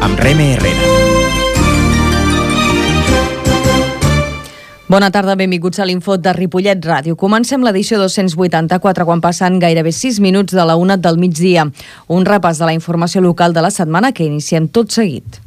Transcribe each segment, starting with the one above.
amb Reme Herrera. Bona tarda, benvinguts a l'Info de Ripollet Ràdio. Comencem l'edició 284 quan passen gairebé 6 minuts de la 1 del migdia. Un repàs de la informació local de la setmana que iniciem tot seguit.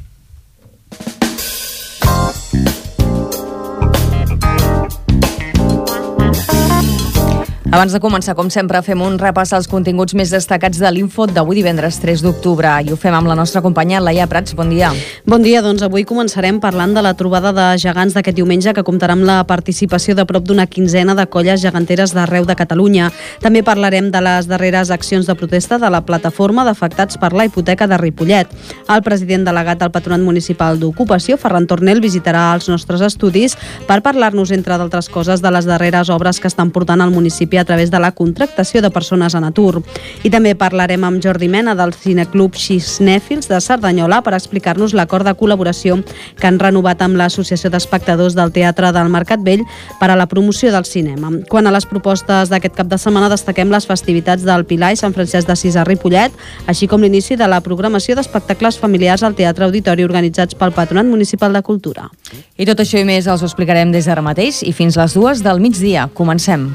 Abans de començar, com sempre, fem un repàs als continguts més destacats de l'Info d'avui divendres 3 d'octubre. I ho fem amb la nostra companya Laia Prats. Bon dia. Bon dia, doncs avui començarem parlant de la trobada de gegants d'aquest diumenge que comptarà amb la participació de prop d'una quinzena de colles geganteres d'arreu de Catalunya. També parlarem de les darreres accions de protesta de la plataforma d'afectats per la hipoteca de Ripollet. El president delegat del Patronat Municipal d'Ocupació, Ferran Tornel, visitarà els nostres estudis per parlar-nos, entre d'altres coses, de les darreres obres que estan portant al municipi a través de la contractació de persones en atur. I també parlarem amb Jordi Mena del Cineclub Xisnèfils de Cerdanyola per explicar-nos l'acord de col·laboració que han renovat amb l'Associació d'Espectadors del Teatre del Mercat Vell per a la promoció del cinema. Quant a les propostes d'aquest cap de setmana, destaquem les festivitats del Pilar i Sant Francesc d'Assís a Ripollet, així com l'inici de la programació d'espectacles familiars al Teatre Auditori organitzats pel Patronat Municipal de Cultura. I tot això i més els ho explicarem des d'ara mateix i fins les 2 del migdia. Comencem.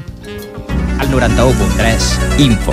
Al 91.3, Info.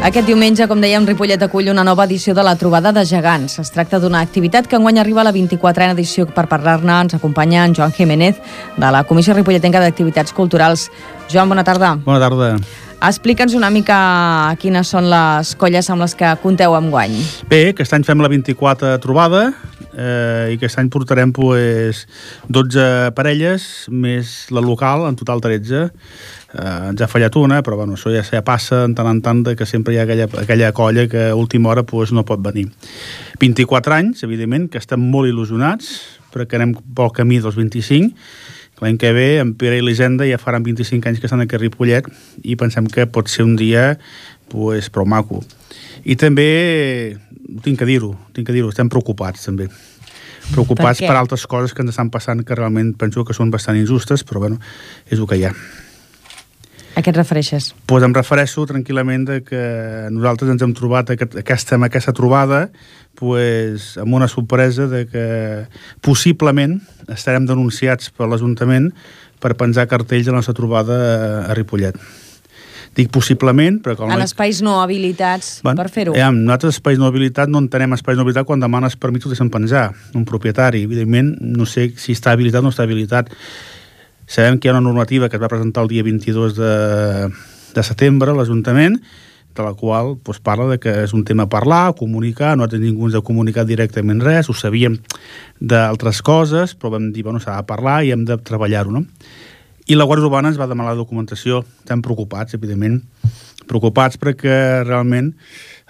Aquest diumenge, com dèiem, Ripollet acull una nova edició de la Trobada de Gegants. Es tracta d'una activitat que enguany arriba a la 24a edició. Per parlar-ne ens acompanya en Joan Jiménez, de la Comissió Ripolletenca d'Activitats Culturals. Joan, bona tarda. Bona tarda. Explica'ns una mica quines són les colles amb les que compteu enguany. Bé, aquest any fem la 24a trobada i aquest any portarem 12 parelles més la local, en total 13. Ens ha fallat una, però bueno, això ja passa en tant de que sempre hi ha aquella colla que a última hora no pot venir. 24 anys, evidentment, que estem molt il·lusionats, perquè anem pel camí dels 25. L'any que ve, en Pere i l'Hisenda ja faran 25 anys que estan aquí a Ripollet i pensem que pot ser un dia prou maco. I també, tinc que dir-ho, estem preocupats també. Preocupats per altres coses que ens estan passant que realment penso que són bastant injustes, però bueno, és el que hi ha. A què et refereixes? Em refereixo tranquil·lament que nosaltres ens hem trobat aquesta trobada amb una sorpresa de que possiblement estarem denunciats per l'Ajuntament per penjar cartells a la nostra trobada a Ripollet. Dic possiblement, però... En espais no habilitats per fer-ho. Nosaltres espais no habilitats no entenem espais no habilitats quan demanes permís ho deixen penjar. Un propietari, evidentment, no sé si està habilitat o no està habilitat. Sabem que hi ha una normativa que es va presentar el dia 22 de setembre a l'Ajuntament, de la qual parla de que és un tema a parlar, a comunicar. Nosaltres ningú ens ha comunicat directament res, ho sabíem d'altres coses, però vam dir, s'ha de parlar i hem de treballar-ho, no? I la Guàrdia Urbana ens va demanar la documentació. Estem preocupats, evidentment. Preocupats perquè realment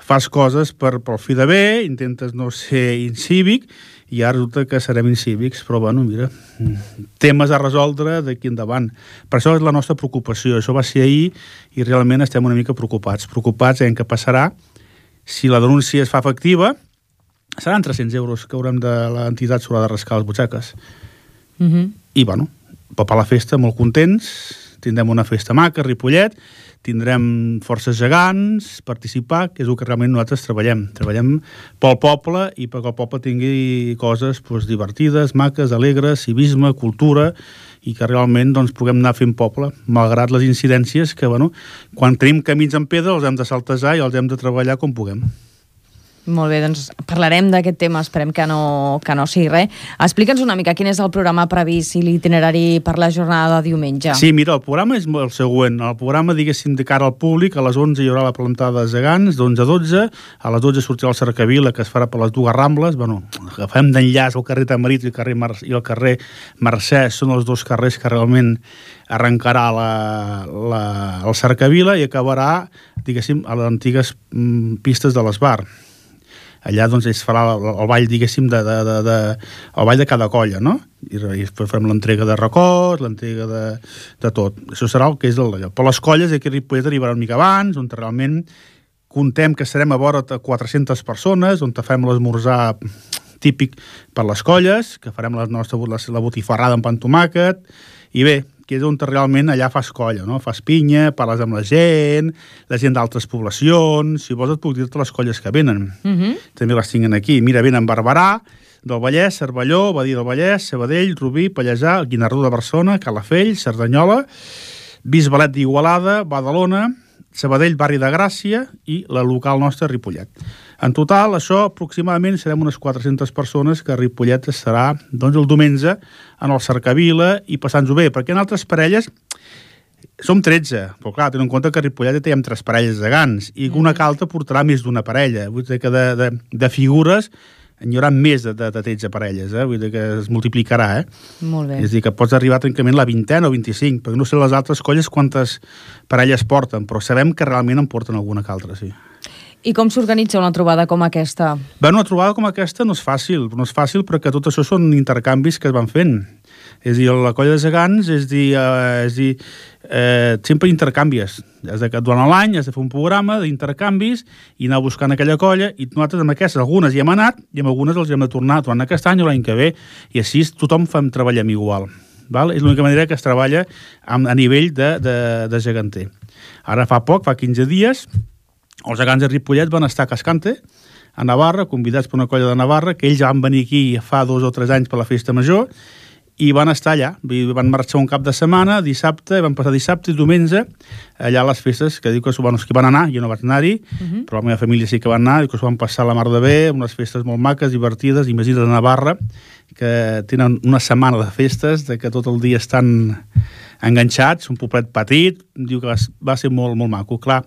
fas coses per fi de bé, intentes no ser incívic, i ara resulta que serem incívics, però mira, temes a resoldre d'aquí endavant. Per això és la nostra preocupació. Això va ser ahir i realment estem una mica preocupats. Preocupats en què passarà si la denúncia es fa efectiva. Seran 300 euros que haurem de l'entitat s'haurà de rascar les butxaques. I per la festa molt contents, tindrem una festa maca a Ripollet, tindrem forces gegants, participar, que és el que realment nosaltres treballem. Treballem pel poble i perquè el poble tingui coses divertides, maques, alegres, civisme, cultura, i que realment puguem anar fent poble, malgrat les incidències que, quan tenim camins en pedra els hem de saltejar i els hem de treballar com puguem. Molt bé, doncs parlarem d'aquest tema, esperem que no sigui res. Explica'ns una mica quin és el programa previst i l'itinerari per la jornada de diumenge. Sí, mira, el programa és el següent. El programa, diguéssim, de cara al públic, a les 11 hi haurà la plantada de gegants, d'11 a 12, a les 12 sortirà el Cercavila, que es farà per les dues Rambles. Agafem d'enllaç el carrer Tamarit i el carrer Mercè, són els dos carrers que realment arrencarà el Cercavila i acabarà, diguéssim, a les antigues pistes de l'Esbar. allà doncs es farà el ball, diguéssim, el ball de cada colla, no? I després farem l'entrega de records, l'entrega de tot. Això serà el que és d'allò. Però les colles aquí a Ripollet arribaran una mica abans, on realment contem que serem a vora 400 persones, on fem l'esmorzar típic per les colles, que farem la botifarrada amb pa amb tomàquet, i bé, que és on realment allà fas colla, no? Fas pinya, parles amb la gent d'altres poblacions, si vols et puc dir-te les colles que venen. També les tinguin aquí. Mira, venen Barberà, del Vallès, Cervelló, Badia del Vallès, Sabadell, Rubí, Pallejà, Guinardó de Barcelona, Calafell, Cerdanyola, Bisbalet d'Igualada, Badalona, Sabadell, Barri de Gràcia i la local nostra, Ripollet. En total, això aproximadament serem unes 400 persones que a Ripollet estarà doncs, el diumenge en el Cercavila i passant-ho bé, perquè en altres parelles som 13, però clar, tenen en compte que a Ripollet ja tenim 3 parelles de gans i una calta portarà més d'una parella. Vull dir que de figures hi haurà més de 13 parelles, vull dir que es multiplicarà, Molt bé. És a dir, que pots arribar trencament a la 20 o 25, perquè no sé les altres colles quantes parelles porten, però sabem que realment en porten alguna que altra, sí. I com s'organitza una trobada com aquesta? Bé, una trobada com aquesta no és fàcil perquè tot això són intercanvis que es van fent. És a dir, la colla de gegants, sempre intercanvies. Durant l'any has de fer un programa d'intercanvis i anar buscant aquella colla, i nosaltres amb aquestes, algunes hi hem anat i amb algunes els hem de tornar durant aquest any o l'any que ve, i així tothom treballem igual. És l'única manera que es treballa a nivell de geganter. Ara fa 15 dies, els gegants de Ripollet van estar a Cascante, a Navarra, convidats per una colla de Navarra, que ells van venir aquí fa 2 o 3 anys per la festa major, i van estar allà. Van marxar un cap de setmana, dissabte, van passar dissabte i diumenge, allà a les festes, que diu que van anar, jo no vaig anar-hi, però la meva família sí que van anar, i que s'ho van passar la mar de bé, unes festes molt maques, divertides, imagina't a Navarra, que tenen una setmana de festes, de que tot el dia estan enganxats, un poblet petit, diu que va ser molt, molt maco. Clar,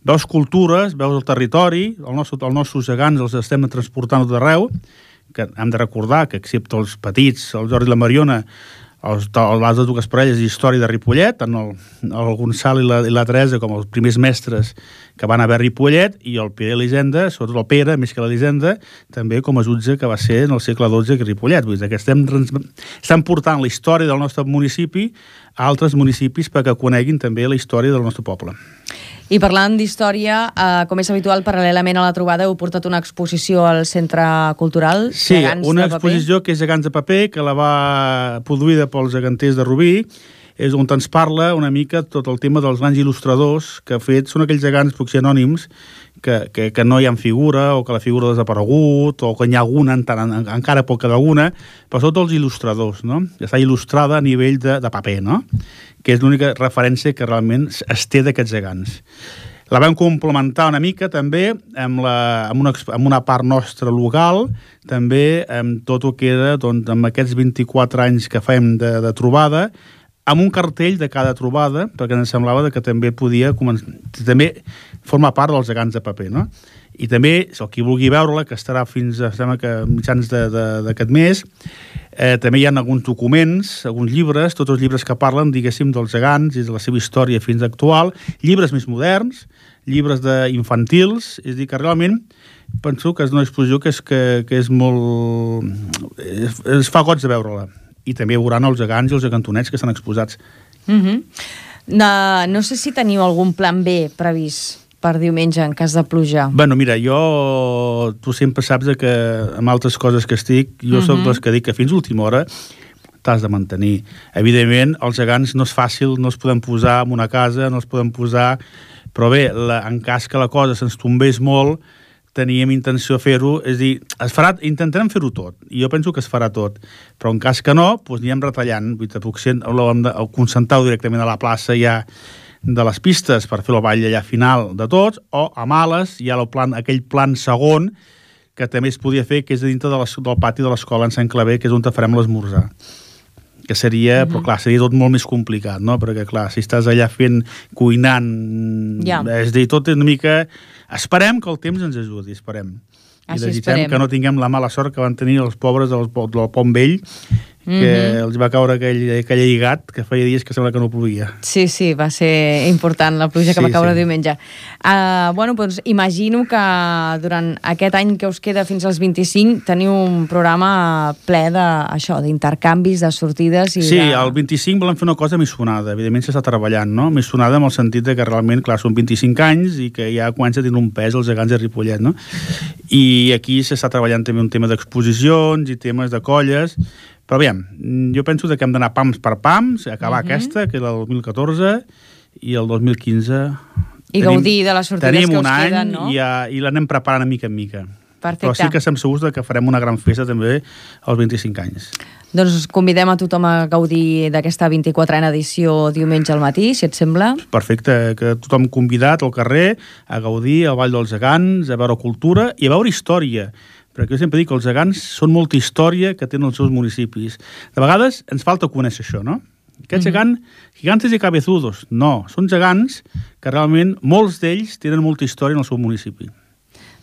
veus cultures, veus el territori, els nostres gegants els estem transportant d'arreu, que hem de recordar que, excepte els petits, el Jordi i la Mariona, les dues parelles d'història de Ripollet, tant el Gonçal i la Teresa com els primers mestres que van haver a Ripollet, i el Pere i l'Elisenda, sobretot el Pere, més que l'Elisenda, també com a jutge que va ser en el segle XII a Ripollet. Vull dir que estem portant la història del nostre municipi a altres municipis perquè coneguin també la història del nostre poble. I parlant d'història, com és habitual, paral·lelament a la trobada heu portat una exposició al Centre Cultural Sí, una exposició que és Gegants de Paper, que la va produïda pels geganters de Rubí, és on ens parla una mica tot el tema dels grans il·lustradors que són aquells gegants potser anònims que no hi ha figura, o que la figura ha desaparegut, o que n'hi ha alguna, encara poca d'alguna, però són tots els il·lustradors, no? Que està il·lustrada a nivell de paper, no? Que és l'única referència que realment es té d'aquests gegants. La vam complementar una mica també amb una part nostra local, també amb tot el que era amb aquests 24 anys que fem de trobada, amb un cartell de cada trobada, perquè ens semblava que també podia també formar part dels gegants de paper, no? I també, si qui vulgui veure-la, que estarà fins a mitjans d'aquest mes, també hi ha alguns documents, alguns llibres, tots els llibres que parlen, diguéssim, dels gegants i de la seva història fins actual, llibres més moderns, llibres infantils, és a dir, que realment penso que és una exposició que és molt... es fa goig de veure-la. I també veuran els gegants i els gegantonets que estan exposats. No sé si teniu algun plan B previst per diumenge en cas de pluja. Bueno, mira, tu sempre saps que amb altres coses que estic, jo soc dels que dic que fins a última hora t'has de mantenir. Evidentment, els gegants no és fàcil, no els podem posar en una casa, no els podem posar... Però bé, en cas que la cosa se'ns tombés molt, teníem intenció de fer-ho, és a dir, intentarem fer-ho tot, i jo penso que es farà tot, però en cas que no, doncs anirem retallant, potser hem de concentrar-ho directament a la plaça ja de les pistes per fer el ball allà final de tots, o a males hi ha aquell plan segon que també es podia fer, que és dintre del pati de l'escola en Sant Claver, que és on farem l'esmorzar. Que seria, però clar, seria tot molt més complicat, no? Perquè clar, si estàs allà cuinant, és a dir, tot una mica... Esperem que el temps ens ajudi, esperem. I desitgem que no tinguem la mala sort que van tenir els pobres del Pont Vell, que els va caure aquell lligat que feia dies que sembla que no plovia. Sí, va ser important la pluja que va caure diumenge. Doncs imagino que durant aquest any que us queda fins als 25 teniu un programa ple d'intercanvis, de sortides... Sí, el 25 volem fer una cosa missonada. Evidentment s'està treballant, no? Missonada en el sentit que realment, clar, són 25 anys i que ja comença a tenir un pes els gegants de Ripollet, no? I aquí s'està treballant també un tema d'exposicions i temes de colles. Però aviam, jo penso que hem d'anar pams per pams, acabar aquesta, que era el 2014, i el 2015... I gaudir de les sortides que us queden, no? I l'anem preparant mica en mica. Perfecte. Però sí que estem segurs que farem una gran festa també als 25 anys. Doncs convidem a tothom a gaudir d'aquesta 24a edició diumenge al matí, si et sembla. Perfecte, que tothom convidat al carrer a gaudir al Vall dels Gegants, a veure cultura i a veure història. Perquè jo sempre dic que els gegants són molta història que tenen els seus municipis. De vegades ens falta conèixer això, no? Aquests gegants, gigantes i cabezudos, no. Són gegants que realment molts d'ells tenen molta història en el seu municipi.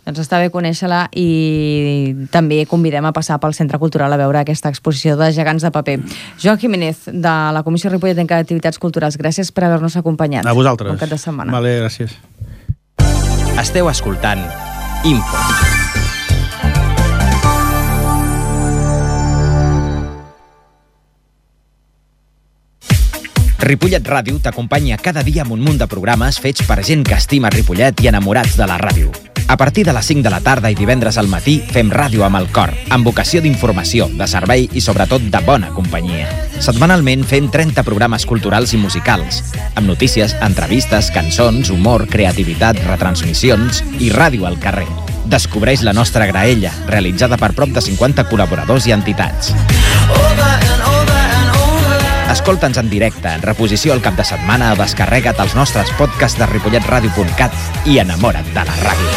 Doncs està bé conèixer-la i també convidem a passar pel Centre Cultural a veure aquesta exposició de gegants de paper. Joan Jiménez, de la Comissió Ripolletenca d'Activitats Culturals, gràcies per haver-nos acompanyat. A vosaltres. Bon cap de setmana. Vale, gràcies. Esteu escoltant Info. Ripollet Ràdio t'acompanya cada dia amb un munt de programes fets per gent que estima Ripollet i enamorats de la ràdio. A partir de les 5 de la tarda i divendres al matí fem ràdio amb el cor, amb vocació d'informació, de servei i sobretot de bona companyia. Setmanalment fem 30 programes culturals i musicals, amb notícies, entrevistes, cançons, humor, creativitat, retransmissions i ràdio al carrer. Descobreix la nostra graella, realitzada per prop de 50 col·laboradors i entitats. Escolta'ns en directe, en reposició al cap de setmana o descarrega't els nostres podcasts de ripolletradio.cat i enamora't de la ràdio.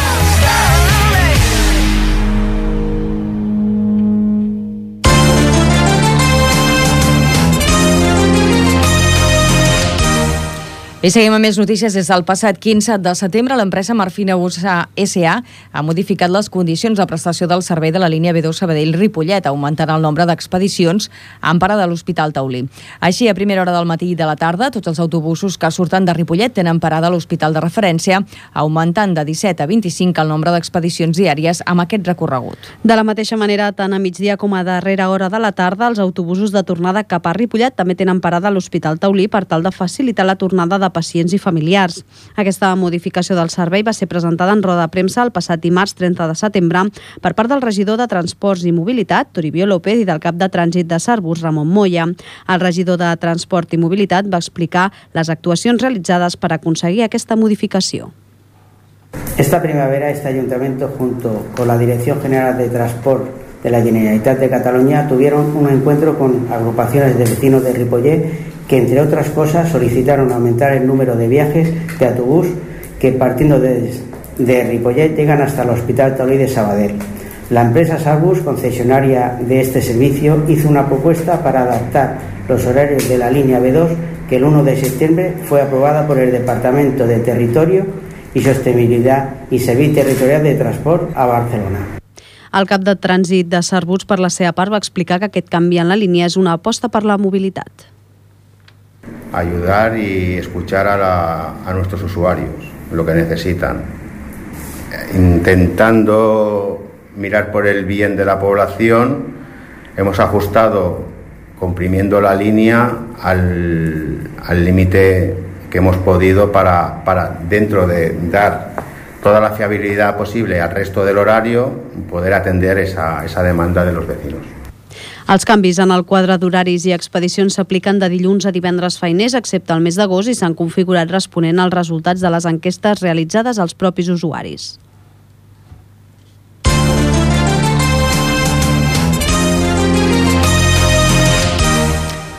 I seguim amb més notícies. Des del passat 15 de setembre, l'empresa Marfina USA S.A. ha modificat les condicions de prestació del servei de la línia B2 Sabadell-Ripollet, augmentant el nombre d'expedicions en parada de l'Hospital Taulí. Així, a primera hora del matí i de la tarda, tots els autobusos que surten de Ripollet tenen parada a l'hospital de referència, augmentant de 17 a 25 el nombre d'expedicions diàries amb aquest recorregut. De la mateixa manera, tant a migdia com a darrera hora de la tarda, els autobusos de tornada cap a Ripollet també tenen parada a l'Hospital Taulí per tal de facilitar la tornada de pacients i familiars. Aquesta modificació del servei va ser presentada en roda de premsa el passat dimarts 30 de setembre per part del regidor de Transports i Mobilitat, Toribio López, i del cap de Trànsit de Sarbus, Ramon Moya. El regidor de Transport i Mobilitat va explicar les actuacions realitzades per aconseguir aquesta modificació. Esta primavera este ayuntamiento junto con la Dirección General de Transport de la Generalitat de Cataluña tuvieron un encuentro con agrupaciones de vecinos de Ripollet que, entre otras cosas, solicitaron aumentar el número de viajes de autobús que, partiendo de Ripollet, llegan hasta el Hospital Taulí de Sabadell. La empresa Sarbus, concesionaria de este servicio, hizo una propuesta para adaptar los horarios de la línea B2 que el 1 de septiembre fue aprobada por el Departamento de Territorio y Sostenibilidad y Servicio Territorial de Transport a Barcelona. El cap de Trànsit de Sarbus, per la seva part, va explicar que aquest canvi en la línia és una aposta per la mobilitat. Ayudar y escuchar a nuestros usuarios, lo que necesitan, intentando mirar por el bien de la población. Hemos ajustado, comprimiendo la línea al límite que hemos podido para dentro de dar toda la fiabilidad posible al resto del horario, poder atender esa demanda de los vecinos. Els canvis en el quadre d'horaris i expedicions s'apliquen de dilluns a divendres feiners, excepte el mes d'agost, i s'han configurat responent als resultats de les enquestes realitzades als propis usuaris.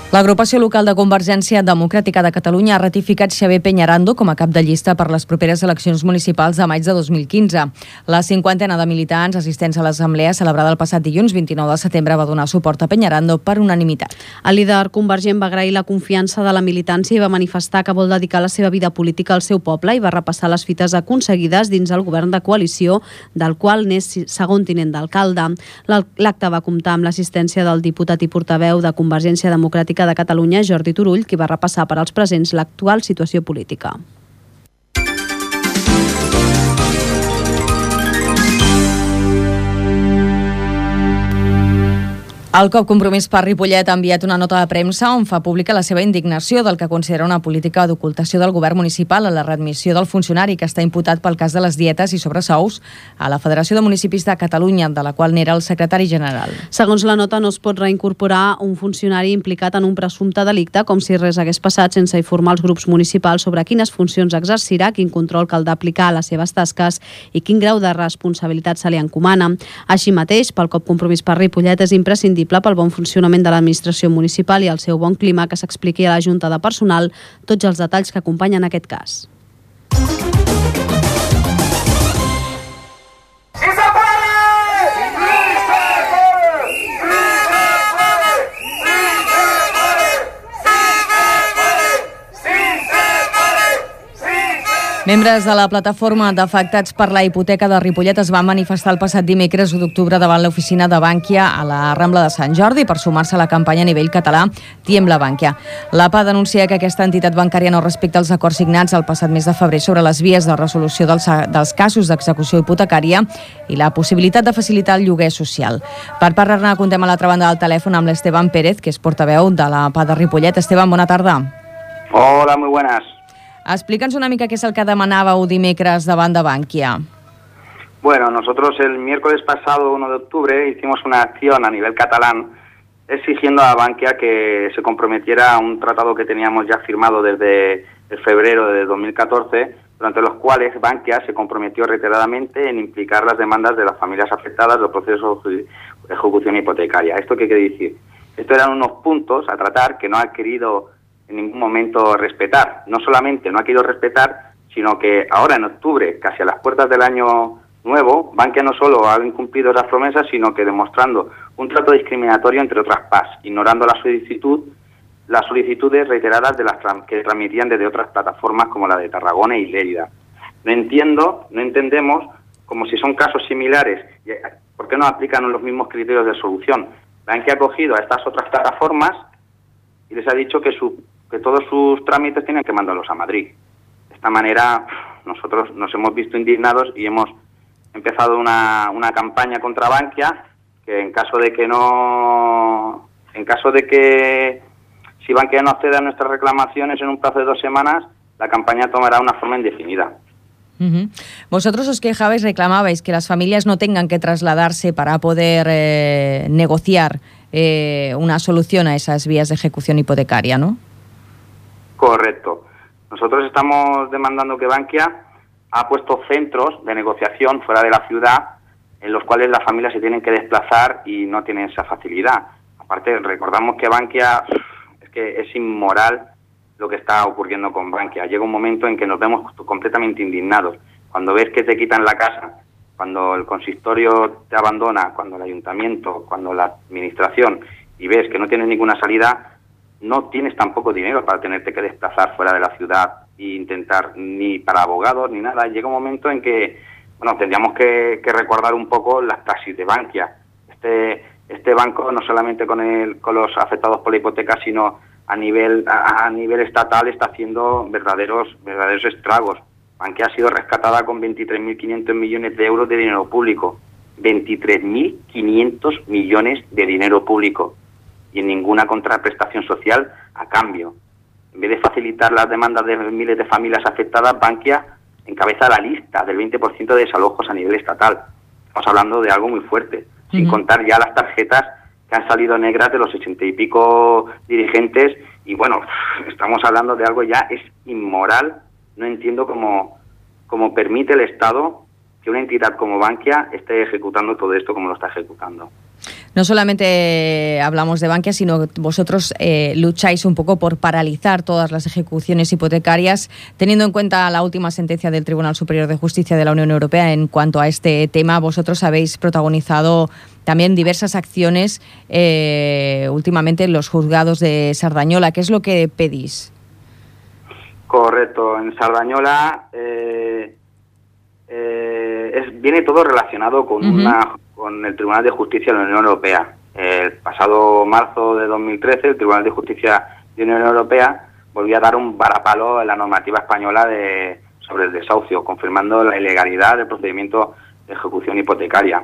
L'agrupació local de Convergència Democràtica de Catalunya ha ratificat Xavier Peñarando com a cap de llista per les properes eleccions municipals de maig de 2015. La 50ena de militants assistents a l'assemblea celebrada el passat dilluns 29 de setembre va donar suport a Peñarando per unanimitat. El líder convergent va agrair la confiança de la militància i va manifestar que vol dedicar la seva vida política al seu poble i va repassar les fites aconseguides dins el govern de coalició, del qual n'és segon tinent d'alcalde. L'acte va comptar amb l'assistència del diputat i portaveu de Convergència Democràtica de Catalunya, Jordi Turull, qui va repassar per als presents l'actual situació política. El COP Compromís per Ripollet ha enviat una nota de premsa on fa pública la seva indignació del que considera una política d'ocultació del govern municipal a la readmissió del funcionari que està imputat pel cas de les dietes i sobresous a la Federació de Municipis de Catalunya, de la qual n'era el secretari general. Segons la nota, no es pot reincorporar un funcionari implicat en un presumpte delicte com si res hagués passat sense informar els grups municipals sobre quines funcions exercirà, quin control caldrà aplicar a les seves tasques i quin grau de responsabilitat se li encomana. Així mateix, pel COP Compromís per Ripollet és imprescindible pel bon funcionament de l'administració municipal i el seu bon clima que s'expliqui a la Junta de Personal tots els detalls que acompanyen aquest cas. Membres de la plataforma d'afectats per la hipoteca de Ripollet es van manifestar el passat dimecres 1 d'octubre davant l'oficina de Bànquia a la Rambla de Sant Jordi per sumar-se a la campanya a nivell català Tiembla Bànquia. L'APA denuncia que aquesta entitat bancària no respecta els acords signats el passat mes de febrer sobre les vies de resolució dels casos d'execució hipotecària i la possibilitat de facilitar el lloguer social. Per parlar-ne, contem a l'altra banda del telèfon amb l'Esteban Pérez, que és portaveu de l'APA de Ripollet. Esteban, bona tarda. Hola, muy buenas. Explica'ns una mica què és el que demanàveu dimecres davant de Bànquia. Bueno, nosotros el miércoles pasado, 1 de octubre, hicimos una acción a nivel catalán exigiendo a Bankia que se comprometiera a un tratado que teníamos ya firmado desde el febrero de 2014, durante los cuales Bankia se comprometió reiteradamente en implicar las demandas de las familias afectadas del proceso de ejecución hipotecaria. ¿Esto qué quiere decir? Estos eran unos puntos a tratar que no ha querido en ningún momento respetar. No solamente no ha querido respetar, sino que ahora en octubre, casi a las puertas del año nuevo, Bankia no solo ha incumplido las promesas, sino que demostrando un trato discriminatorio entre otras PAS, ignorando las solicitudes reiteradas de las que transmitían desde otras plataformas como la de Tarragona y Lérida. No entendemos, como si son casos similares, ¿por qué no aplican los mismos criterios de solución? Bankia ha cogido a estas otras plataformas y les ha dicho que todos sus trámites tienen que mandarlos a Madrid. De esta manera nosotros nos hemos visto indignados y hemos empezado una campaña contra Bankia que en caso de que si Bankia no accede a nuestras reclamaciones en un plazo de 2 semanas, la campaña tomará una forma indefinida. Vosotros os quejabais, reclamabais que las familias no tengan que trasladarse para poder negociar una solución a esas vías de ejecución hipotecaria, ¿no? Correcto. Nosotros estamos demandando que Bankia ha puesto centros de negociación fuera de la ciudad en los cuales las familias se tienen que desplazar y no tienen esa facilidad. Aparte, recordamos que Bankia, es que es inmoral lo que está ocurriendo con Bankia. Llega un momento en que nos vemos completamente indignados. Cuando ves que te quitan la casa, cuando el consistorio te abandona, cuando el ayuntamiento, cuando la administración, y ves que no tienes ninguna salida, no tienes tampoco dinero para tenerte que desplazar fuera de la ciudad e intentar, ni para abogados ni nada. Llega un momento en que, bueno, tendríamos que recordar un poco las praxis de Bankia. Este banco, no solamente con los afectados por la hipoteca, sino a nivel estatal, está haciendo verdaderos estragos. Bankia ha sido rescatada con 23.500 millones de euros de dinero público. 23.500 millones de dinero público. Y en ninguna contraprestación social a cambio. En vez de facilitar las demandas de miles de familias afectadas, Bankia encabeza la lista del 20% de desalojos a nivel estatal. Estamos hablando de algo muy fuerte, sin contar ya las tarjetas que han salido negras de los 80 y pico dirigentes. Y bueno, estamos hablando de algo ya, es inmoral. No entiendo cómo permite el Estado que una entidad como Bankia esté ejecutando todo esto como lo está ejecutando. No solamente hablamos de Bankia, sino que vosotros lucháis un poco por paralizar todas las ejecuciones hipotecarias, teniendo en cuenta la última sentencia del Tribunal Superior de Justicia de la Unión Europea en cuanto a este tema. Vosotros habéis protagonizado también diversas acciones últimamente en los juzgados de Sardañola. ¿Qué es lo que pedís? Correcto. En Sardañola viene todo relacionado con el Tribunal de Justicia de la Unión Europea. El pasado marzo de 2013, el Tribunal de Justicia de la Unión Europea volvió a dar un varapalo en la normativa española sobre el desahucio, confirmando la ilegalidad del procedimiento de ejecución hipotecaria.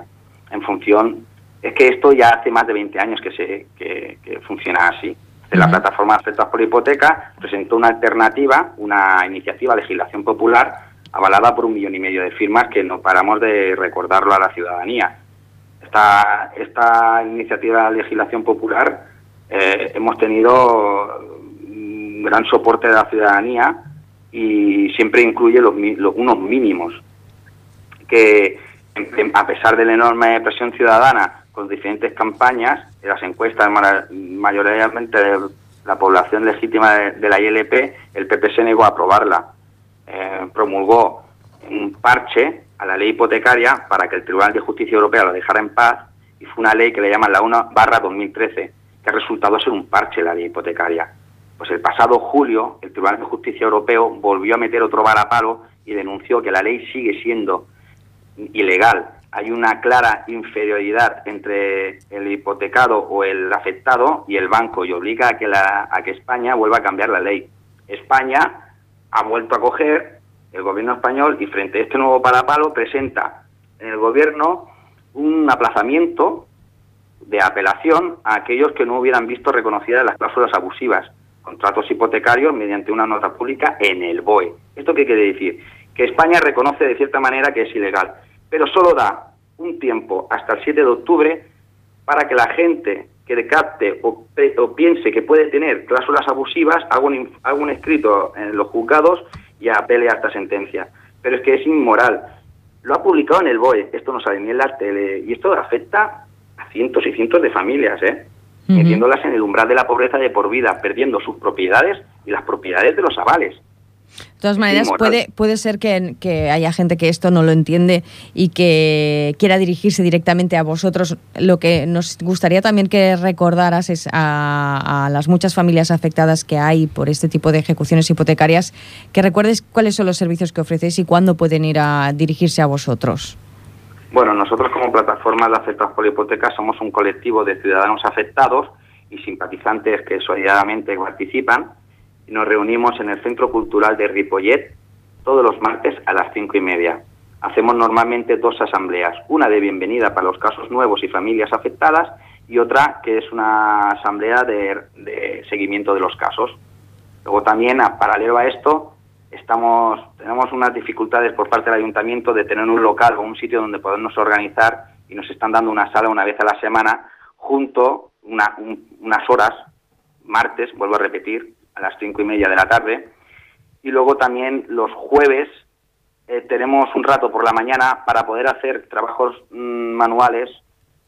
En función, es que esto ya hace más de 20 años que funciona así. La plataforma Afectados por Hipoteca presentó una alternativa, una iniciativa de legislación popular avalada por 1,5 millones de firmas, que no paramos de recordarlo a la ciudadanía. Esta iniciativa de legislación popular hemos tenido un gran soporte de la ciudadanía y siempre incluye unos mínimos que, a pesar de la enorme presión ciudadana con diferentes campañas, en las encuestas mayoritariamente de la población legítima de la ILP, el PP se negó a aprobarla. Promulgó un parche a la ley hipotecaria para que el Tribunal de Justicia Europea lo dejara en paz, y fue una ley que le llaman la 1/2013, que ha resultado ser un parche la ley hipotecaria. Pues el pasado julio, el Tribunal de Justicia Europeo volvió a meter otro varapalo y denunció que la ley sigue siendo ilegal. Hay una clara inferioridad entre el hipotecado o el afectado y el banco, y obliga a que España vuelva a cambiar la ley. España ha vuelto a coger el gobierno español, y frente a este nuevo varapalo presenta en el gobierno un aplazamiento de apelación a aquellos que no hubieran visto reconocidas las cláusulas abusivas, contratos hipotecarios, mediante una nota pública en el BOE. ¿Esto qué quiere decir? Que España reconoce de cierta manera que es ilegal, pero solo da un tiempo hasta el 7 de octubre para que la gente que capte o piense que puede tener cláusulas abusivas haga un escrito en los juzgados y apele a esta sentencia. Pero es que es inmoral. Lo ha publicado en el BOE, esto no sale ni en la tele, y esto afecta a cientos y cientos de familias, metiéndolas en el umbral de la pobreza de por vida, perdiendo sus propiedades y las propiedades de los avales. De todas maneras, puede ser que haya gente que esto no lo entiende y que quiera dirigirse directamente a vosotros. Lo que nos gustaría también que recordaras es a las muchas familias afectadas que hay por este tipo de ejecuciones hipotecarias, que recuerdes cuáles son los servicios que ofrecéis y cuándo pueden ir a dirigirse a vosotros. Bueno, nosotros como plataforma de Afectados por Hipoteca somos un colectivo de ciudadanos afectados y simpatizantes que solidariamente participan. Nos reunimos en el Centro Cultural de Ripollet todos los martes a las 5:30. Hacemos normalmente 2 asambleas, una de bienvenida para los casos nuevos y familias afectadas, y otra que es una asamblea de seguimiento de los casos. Luego también, paralelo a esto, tenemos unas dificultades por parte del ayuntamiento de tener un local o un sitio donde podernos organizar, y nos están dando una sala una vez a la semana, unas horas, martes, vuelvo a repetir, a las 5:30 de la tarde, y luego también los jueves tenemos un rato por la mañana para poder hacer trabajos manuales,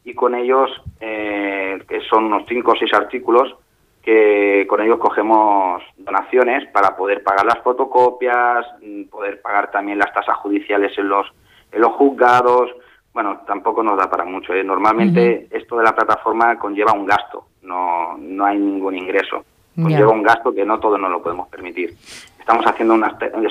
y con ellos, que son unos 5 o 6 artículos, que con ellos cogemos donaciones para poder pagar las fotocopias, poder pagar también las tasas judiciales en los juzgados. Bueno, tampoco nos da para mucho. Normalmente esto de la plataforma conlleva un gasto, no hay ningún ingreso. Conlleva un gasto que no todos nos lo podemos permitir. Estamos haciendo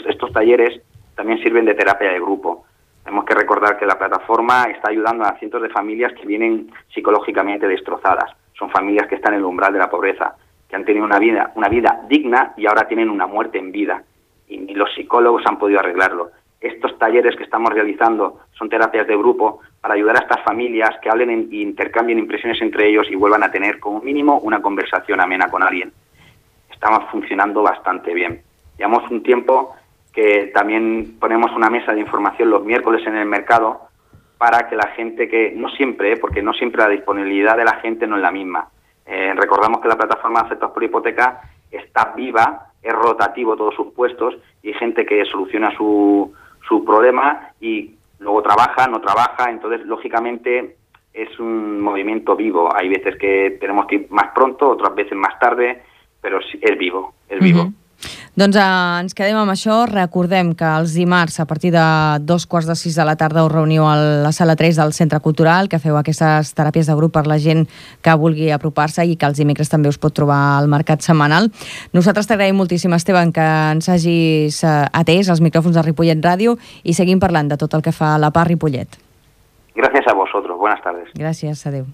estos talleres, también sirven de terapia de grupo. Tenemos que recordar que la plataforma está ayudando a cientos de familias que vienen psicológicamente destrozadas. Son familias que están en el umbral de la pobreza, que han tenido una vida digna y ahora tienen una muerte en vida. Y los psicólogos han podido arreglarlo. Estos talleres que estamos realizando son terapias de grupo para ayudar a estas familias que hablen e intercambien impresiones entre ellos y vuelvan a tener como mínimo una conversación amena con alguien. Estamos funcionando bastante bien. Llevamos un tiempo que también ponemos una mesa de información los miércoles en el mercado para que la gente que, no siempre, porque no siempre la disponibilidad de la gente no es la misma. Recordamos que la plataforma Afectados por Hipoteca está viva, es rotativo todos sus puestos, y hay gente que soluciona su problema y luego trabaja, no trabaja. Entonces, lógicamente, es un movimiento vivo. Hay veces que tenemos que ir más pronto, otras veces más tarde, però és vivo, és vivo. Doncs ens quedem amb això. Recordem que els dimarts, a partir de 5:45 de la tarda, us reuniu a la sala 3 del Centre Cultural, que feu aquestes teràpies de grup per la gent que vulgui apropar-se, i que els dimecres també us pot trobar al mercat setmanal. Nosaltres t'agraïm moltíssim, Esteban, que ens hagis atès als micròfons de Ripollet Ràdio, i seguim parlant de tot el que fa la PA Ripollet. Gracias a vosotros. Buenas tardes. Gràcies, adeu.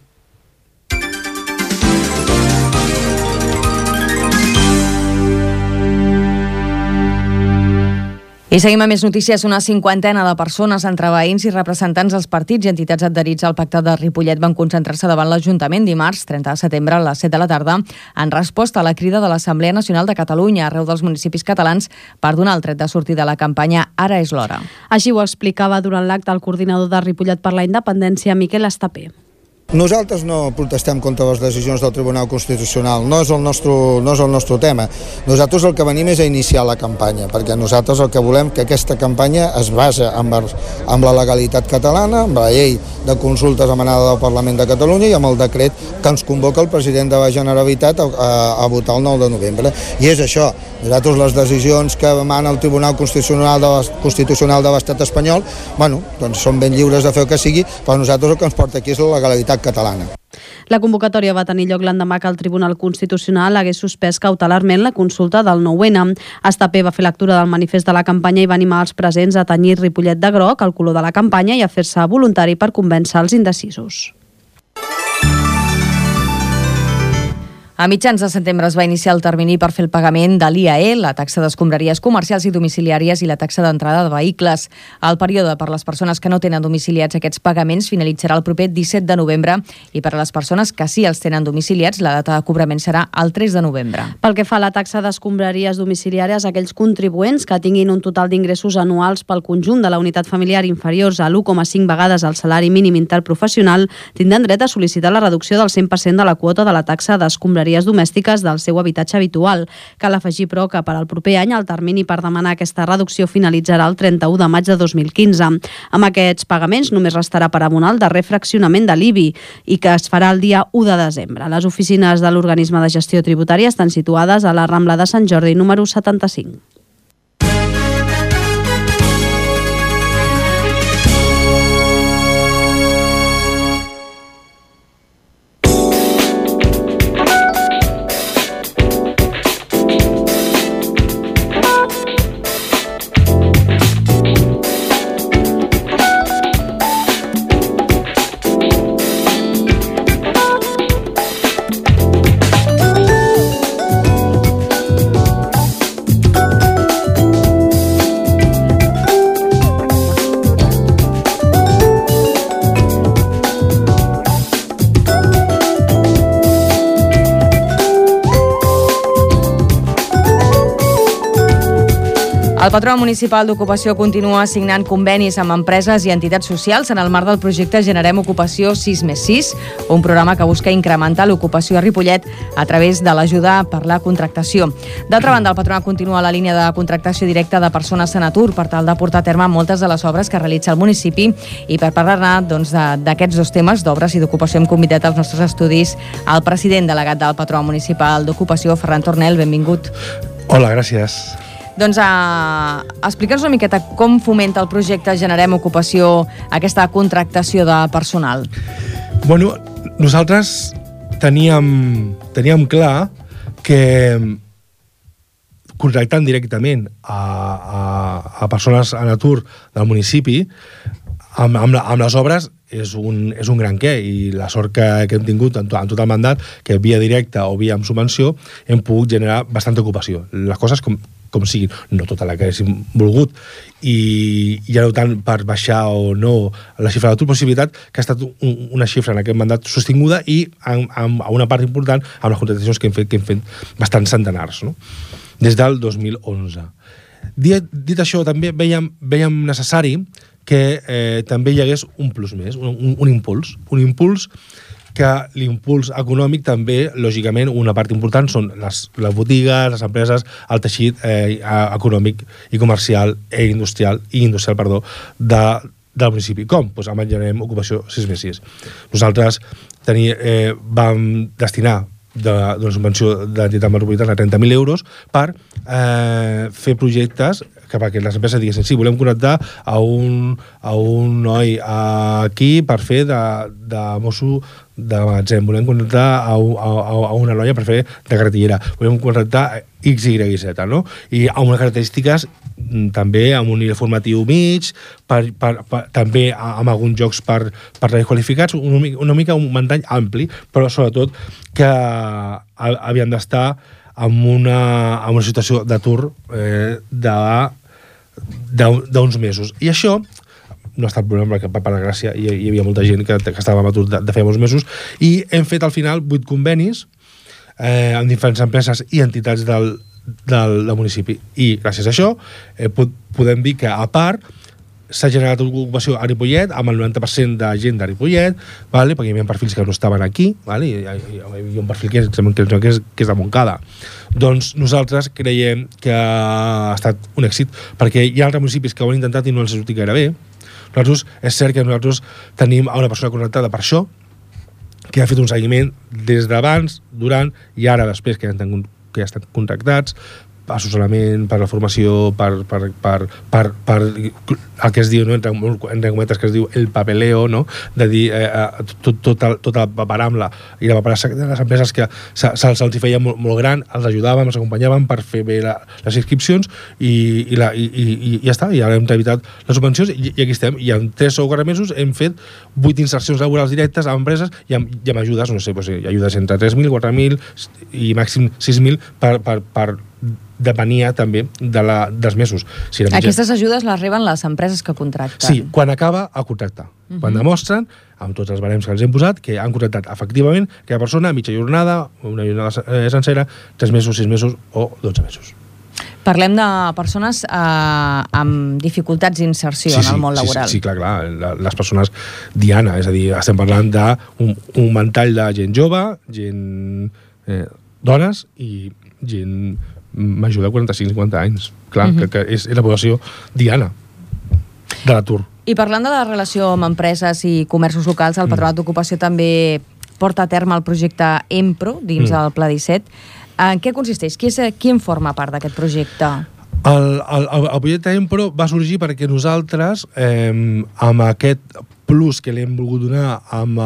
I seguim amb més notícies. Una cinquantena de persones, entre veïns i representants dels partits i entitats adherits al Pacte de Ripollet, van concentrar-se davant l'Ajuntament dimarts, 30 de setembre, a les 7 de la tarda, en resposta a la crida de l'Assemblea Nacional de Catalunya arreu dels municipis catalans per donar el tret de sortida a la campanya Ara és l'hora. Així ho explicava durant l'acte el coordinador de Ripollet per la Independència, Miquel Estapé. Nosaltres no protestem contra les decisions del Tribunal Constitucional, no és el nostre tema. Nosaltres el que venim és a iniciar la campanya, perquè nosaltres el que volem que aquesta campanya es basa amb la legalitat catalana, amb la llei de consultes emanada del Parlament de Catalunya i amb el decret que ens convoca el president de la Generalitat a votar el 9 de novembre. I és això, nosaltres les decisions que emana el Tribunal Constitucional de l'Estat espanyol, doncs són ben lliures de fer el que sigui, però nosaltres el que ens porta aquí és la legalitat catalana. La convocatòria va tenir lloc l'endemà que el Tribunal Constitucional hagués suspès cautelarment la consulta del 9-N. Estapé va fer lectura del manifest de la campanya i va animar els presents a tenyir Ripollet de groc, el color de la campanya, i a fer-se voluntari per convèncer els indecisos. A mitjans de setembre es va iniciar el termini per fer el pagament de l'IAE, la taxa d'escombraries comercials i domiciliàries i la taxa d'entrada de vehicles. El període per les persones que no tenen domiciliats aquests pagaments finalitzarà el proper 17 de novembre i per a les persones que sí els tenen domiciliats la data de cobrament serà el 3 de novembre. Pel que fa a la taxa d'escombraries domiciliàries, aquells contribuents que tinguin un total d'ingressos anuals pel conjunt de la unitat familiar inferiors a l'1,5 vegades el salari mínim interprofessional tindran dret a sol·licitar la reducció del 100% de la quota de la taxa d'escombraries domèstiques del seu habitatge habitual. Cal afegir, però, que per al proper any el termini per demanar aquesta reducció finalitzarà el 31 de maig de 2015. Amb aquests pagaments només restarà per abonar el darrer fraccionament de l'IBI i que es farà el dia 1 de desembre. Les oficines de l'Organisme de Gestió Tributària estan situades a la Rambla de Sant Jordi, número 75. El Patronat Municipal d'Ocupació continua signant convenis amb empreses i entitats socials en el marc del projecte Generem Ocupació 6+6, un programa que busca incrementar l'ocupació a Ripollet a través de l'ajuda per la contractació. D'altra banda, el Patronat continua la línia de contractació directa de persones en atur per tal de portar a terme moltes de les obres que realitza el municipi, i per parlar-ne d'aquests dos temes, d'obres i d'ocupació, hem convidat als nostres estudis el president delegat del Patronat Municipal d'Ocupació, Ferran Tornel. Benvingut. Hola, gràcies. Doncs explica'ns una miqueta com fomenta el projecte Generem Ocupació aquesta contractació de personal. Bueno, nosaltres teníem clar que contractant directament a persones en atur del municipi amb les obres és un gran què, i la sort que hem tingut en tot el mandat, que via directa o via amb subvenció hem pogut generar bastanta ocupació. Les coses com siguin, no tota la que haguéssim volgut, i ja no tant per baixar o no la xifra d'atur, possibilitat que ha estat una xifra en aquest mandat sostinguda i amb una part important amb les contractacions que hem fet bastants centenars, no? Des del 2011. Dit això, també veiem necessari que també hi hagués un plus més, un impuls, que l'impuls econòmic també, lògicament, una part important són les botigues, les empreses, el teixit econòmic i comercial i industrial del municipi. Com? Doncs amb el Generem Ocupació 6+6. Nosaltres vam destinar d'una subvenció d'entitat metropolitana 30.000 euros per fer projectes perquè les empreses diguessin, sí, volem connectar a un noi aquí per fer de mosso de magatzem, volem connectar a una noia per fer de cartellera, volem connectar X, Y, Z, no? I amb unes característiques també amb un nivell formatiu mig, també amb alguns jocs per qualificats, una mica un ventall ampli, però sobretot que havien d'estar en una situació d'atur d'uns mesos. I això no ha estat problema perquè per la gràcia hi havia molta gent que estava en atur de feia molts mesos i hem fet al final 8 convenis amb diferents empreses i entitats del municipi i gràcies a això podem dir que a part s'ha generat ocupació a Ripollet amb el 90% de gent de Ripollet, vale? Perquè hi havia perfils que no estaven aquí, vale? Hi havia un perfil que és de Montcada. Doncs nosaltres creiem que ha estat un èxit perquè hi ha altres municipis que ho han intentat i no els ha sortit gaire bé. Nosaltres, és cert que nosaltres tenim una persona connectada per això que ha fet un seguiment des d'abans, durant i ara després que ja estan contractats assessorament, per la formació, per el que es diu, no? entre cometes, que es diu el papeleo, no? De dir tot el paperamla i la paperassa de les empreses que se'ls hi feia molt gran, els ajudàvem, els acompanyàvem per fer bé les inscripcions i ja està, i ara hem evitat les subvencions i aquí estem, i en 3 o 4 mesos hem fet 8 insercions laborals directes a empreses i amb ajudes, no sé, ajudes entre 3.000, 4.000 i màxim 6.000 per depenia també dels mesos. Si aquestes ajudes les reben les empreses que contracten? Sí, quan acaba el contracte. Quan demostren, amb tots els barems que els hem posat, que han contractat efectivament aquella persona, mitja jornada, una jornada sencera, 3 mesos, 6 mesos o 12 mesos. Parlem de persones amb dificultats d'inserció en el món laboral. Sí, clar. Les persones diana, és a dir, estem parlant d'un ventall de gent jove, gent dones i gent major de 45-50 anys. Clar, que és la població diana de l'atur. I parlant de la relació amb empreses i comerços locals, el Patronat d'Ocupació també porta a terme el projecte EMPRO dins del Pla 17. En què consisteix? Qui en forma part d'aquest projecte? El projecte EMPRO va sorgir perquè nosaltres, amb aquest plus que li hem volgut donar amb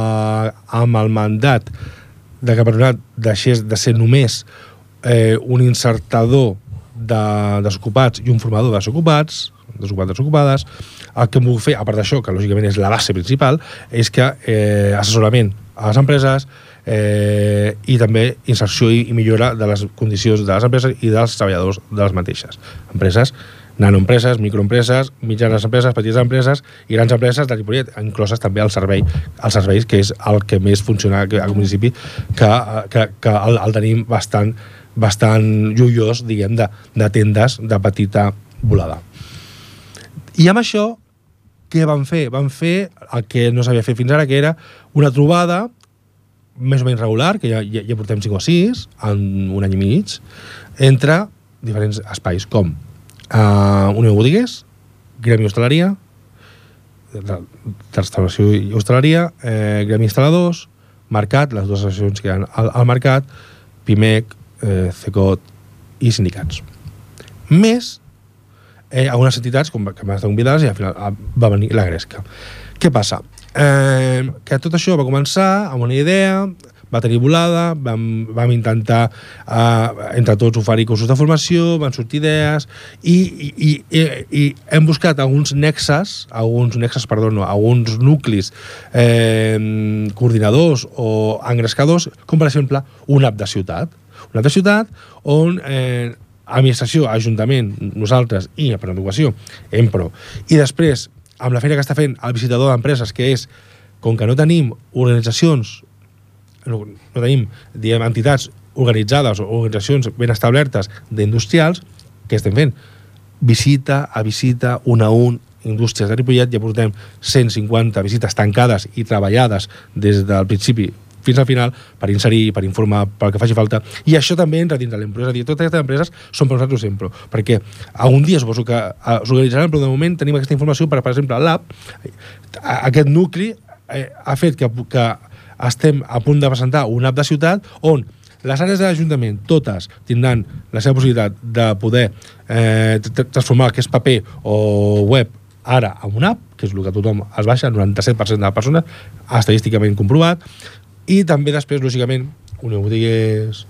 el mandat de que el Patronat deixés de ser només un insertador de desocupats i un formador de desocupats, desocupades, el que hem volgut fer, a part d'això, que lògicament és la base principal, és que assessorament a les empreses i també inserció i millora de les condicions de les empreses i dels treballadors de les mateixes. Empreses, nanoempreses, microempreses, mitjanes empreses, petites empreses i grans empreses de Ripollet, incloses també els serveis, que és el que més funciona al municipi, que el tenim bastant lluiós, diguem, de tendes de petita volada. I amb això, què van fer? Van fer el que no s'havia fet fins ara, que era una trobada més o menys regular, que ja portem 5 o 6, en un any i mig, entre diferents espais, com Unió de Botiguers, Gremi Hostaleria, de restauració i hostaleria, Gremi Instal·ladors, Mercat, les dues associacions que hi ha al Mercat, PIMEC, CECOT i sindicats. Més algunes entitats que van estar convidades i al final va venir la Gresca. Què passa? Que tot això va començar amb una idea, va tenir volada, vam intentar entre tots oferir cursos de formació, van sortir idees i hem buscat alguns nuclis coordinadors o engrescadors, com per exemple una app de ciutat. Una altra ciutat on administració, ajuntament, nosaltres i el Patronat d'Ocupació, EMPRO, i després amb la feina que està fent el visitador d'empreses, que és, com que no tenim organitzacions, no tenim, diguem, entitats organitzades o organitzacions ben establertes d'industrials, què estem fent? Visita a visita, un a un, indústries de Ripollet, ja portem 150 visites tancades i treballades des del principi fins al final per inserir, per informar, pel que faci falta. I això també entra dins de l'empresa. És a dir, totes aquestes empreses són per nosaltres sempre, perquè algun dia suposo que s'organitzaran, però de moment tenim aquesta informació per exemple, l'AP, aquest nucli ha fet que estem a punt de presentar un app de ciutat on les àrees de l'Ajuntament, totes, tindran la seva possibilitat de poder transformar el que és paper o web ara en una app, que és el que tothom es baixa, el 97% de les persones, estadísticament comprovat, i també després, lògicament, Unió Botiguers,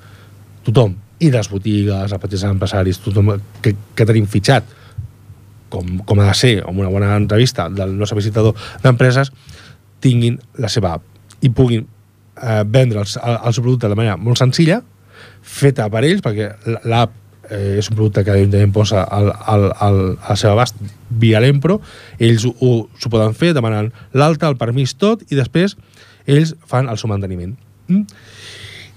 tothom, i les botigues, els petits empresaris, tothom que tenim fitxat, com ha de ser, amb una bona entrevista del nostre visitador d'empreses, tinguin la seva app i puguin vendre el seu producte de manera molt senzilla, feta per ells, perquè l'app és un producte que l'Ajuntament posa al seu abast via l'Empro, ells s'ho poden fer demanant l'alta, el permís, tot, i després ells fan el seu manteniment.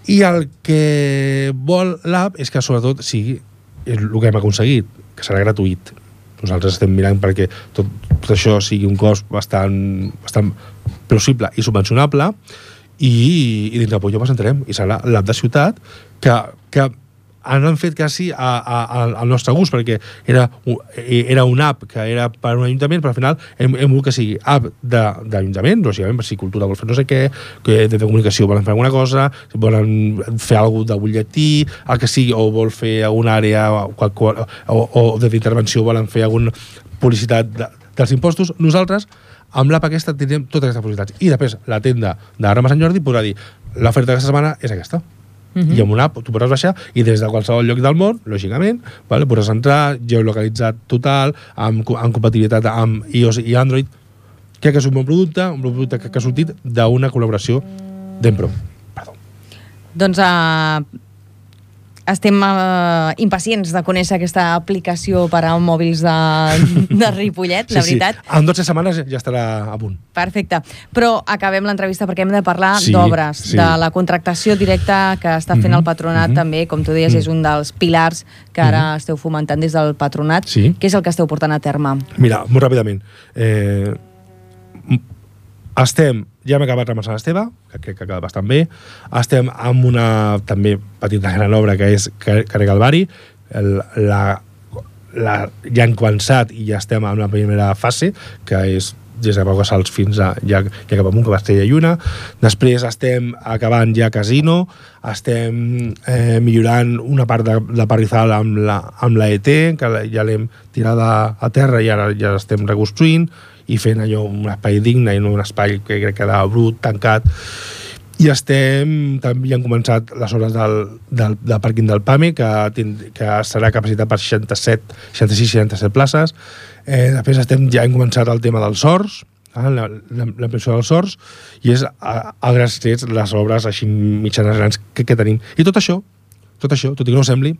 I el que vol l'app és que sobretot sigui el que hem aconseguit, que serà gratuït. Nosaltres estem mirant perquè tot això sigui un cost bastant plausible i subvencionable, i dins del Pollo presentarem, i serà l'app de ciutat que han fet quasi al nostre gust, perquè era una app que era per un ajuntament, però al final hem volgut que sigui app d'ajuntament, lògicament, per si cultura vol fer no sé què, que de comunicació volen fer alguna cosa, volen fer alguna de butlletí, el que sigui, o vol fer alguna àrea o d'intervenció volen fer alguna publicitat dels impostos. Nosaltres, amb l'app aquesta, tindrem totes aquestes possibilitats. I després, la tenda de Rama Sant Jordi podrà dir l'oferta d'aquesta setmana és aquesta. I amb una app tu podràs baixar i des de qualsevol lloc del món, lògicament, podràs entrar, geolocalitzat total, amb compatibilitat amb iOS i Android. Crec que és un bon producte que ha sortit d'una col·laboració d'Empro. Doncs estem impacients de conèixer aquesta aplicació per a mòbils de Ripollet, la veritat. Sí. En 12 setmanes ja estarà a punt. Perfecte. Però acabem l'entrevista perquè hem de parlar d'obres, de la contractació directa que està fent el patronat també, com tu deies, és un dels pilars que ara esteu fomentant des del patronat. Què és el que esteu portant a terme? Mira, molt ràpidament. Ja hem acabat Rama Sant Esteve, que crec que ha quedat bastant bé. Estem amb una també petita gran obra que és Carrer Calvari. Ja hem començat i ja estem en la primera fase, que és des de Pau Casals fins a ja cap amunt, que va Estella i Lluna. Després estem acabant ja Casino, estem millorant una part de Parrizal amb la ET, que ja l'hem tirada a terra i ara ja l'estem reconstruint, i fent allò un espai digne i no un espai que crec que era brut, tancat. I també han començat les obres del pàrquing del PAME, que serà capacitat per 66-67 places. Després ja hem començat el tema dels sorts, l'ampliació dels sorts, i és a grans trets les obres així mitjanes grans que tenim. I tot això, tot i que no ho sembli,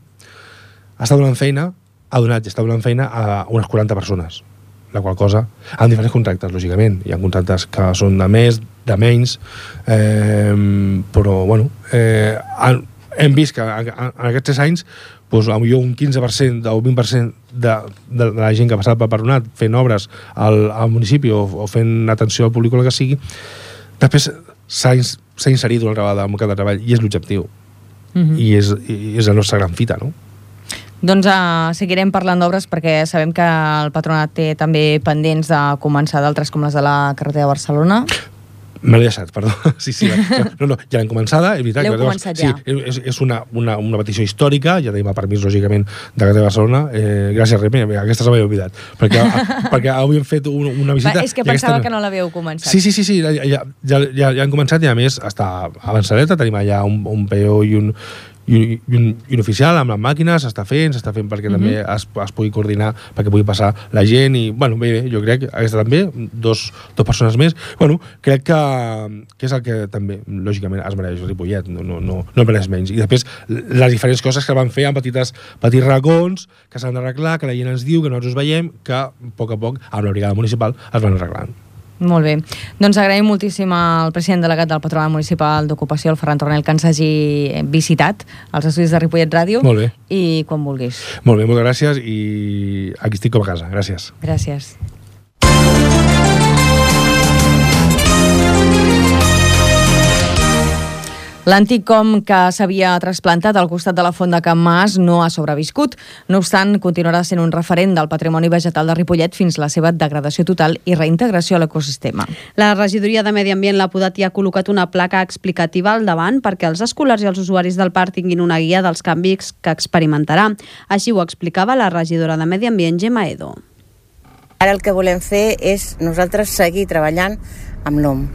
està donant feina a unes 40 persones. La qual cosa, amb diferents contractes, lògicament. Hi ha contractes que són de més, de menys, però, bueno, hem vist que en aquests 3 anys potser un 15% o 20% de la gent que ha passat pel patronat fent obres al municipi o fent atenció al públic o el que sigui, després s'ha inserit una vegada al mercat de treball, i és l'objectiu. I és la nostra gran fita, no? Doncs seguirem parlant d'obres perquè sabem que el patronat té també pendents de començar d'altres com les de la carretera de Barcelona. Me l'he deixat, perdó. Sí, no, ja l'hem començada. L'heu començat ja. Sí, és una petició històrica, ja tenim el permís, lògicament, de carretera de Barcelona. Gràcies, Remi, aquesta se m'havia oblidat. Perquè avui hem fet una visita... És que pensava que no l'havíeu començat. Sí, ja hem començat, i a més està avançadeta, tenim allà un PO i un oficial amb les màquines, s'està fent perquè també es pugui coordinar, perquè pugui passar la gent, i, bueno, bé, jo crec que aquesta també, dos persones més, bueno, crec que és el que també, lògicament, es mereix Ripollet, no mereix menys. I després, les diferents coses que van fer en petits racons, que s'han d'arreglar, que la gent ens diu, que nosaltres veiem, que a poc, amb la brigada municipal, es van arreglant. Molt bé. Doncs agraïm moltíssim al president delegat del Patronat Municipal d'Ocupació, el Ferran Tornel, que ens hagi visitat als estudis de Ripollet Ràdio. Molt bé. I quan vulguis. Molt bé, moltes gràcies, i aquí estic com a casa. Gràcies. Gràcies. L'antic com que s'havia trasplantat al costat de la font de Can Mas no ha sobreviscut. No obstant, continuarà sent un referent del patrimoni vegetal de Ripollet fins la seva degradació total i reintegració a l'ecosistema. La regidoria de Medi Ambient l'ha podat i ha col·locat una placa explicativa al davant perquè els escolars i els usuaris del parc tinguin una guia dels canvis que experimentarà. Així ho explicava la regidora de Medi Ambient, Gemma Edo. Ara el que volem fer és nosaltres seguir treballant amb l'om,